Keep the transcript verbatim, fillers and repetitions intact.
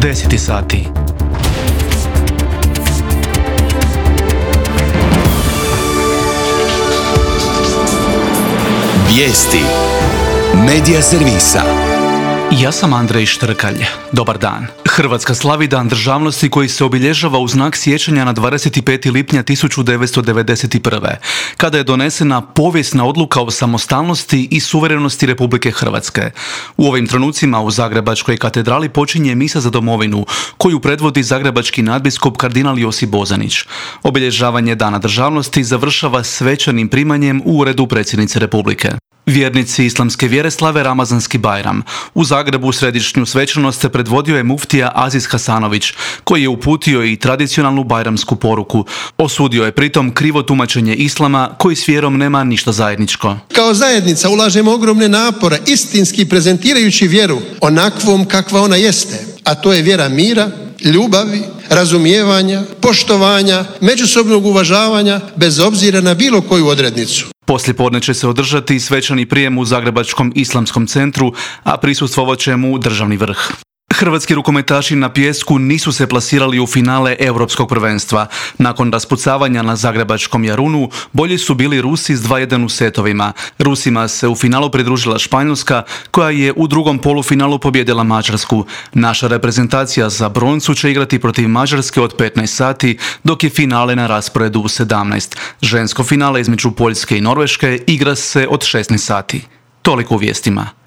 deset sati. Vijesti Medija servisa. Ja sam Andrej Štrkalj. Dobar dan. Hrvatska slavi Dan državnosti koji se obilježava u znak sjećanja na dvadeset peti lipnja tisuću devetsto devedeset prve. kada je donesena povijesna odluka o samostalnosti i suverenosti Republike Hrvatske. U ovim trenucima u Zagrebačkoj katedrali počinje misa za domovinu, koju predvodi zagrebački nadbiskup kardinal Josip Bozanić. Obilježavanje Dana državnosti završava svečanim primanjem u uredu predsjednice Republike. Vjernici islamske vjere slave Ramazanski Bajram. U Zagrebu središnju svečanost se predvodio je muftija Aziz Hasanović, koji je uputio i tradicionalnu bajramsku poruku. Osudio je pritom krivo tumačenje islama, koji s vjerom nema ništa zajedničko. Kao zajednica ulažemo ogromne napore, istinski prezentirajući vjeru onakvom kakva ona jeste, a to je vjera mira, ljubavi, razumijevanja, poštovanja, međusobnog uvažavanja, bez obzira na bilo koju odrednicu. Poslijepodne će se održati svečani prijem u Zagrebačkom islamskom centru, a prisustvovat će mu državni vrh. Hrvatski rukometaši na pijesku nisu se plasirali u finale Europskog prvenstva. Nakon raspucavanja na zagrebačkom Jarunu, bolji su bili Rusi s dva jedan u setovima. Rusima se u finalu pridružila Španjolska, koja je u drugom polufinalu pobijedila Mađarsku. Naša reprezentacija za broncu će igrati protiv Mađarske od petnaest sati, dok je finale na rasporedu u sedamnaest. Žensko finale između Poljske i Norveške igra se od šesnaest sati. Toliko u vijestima.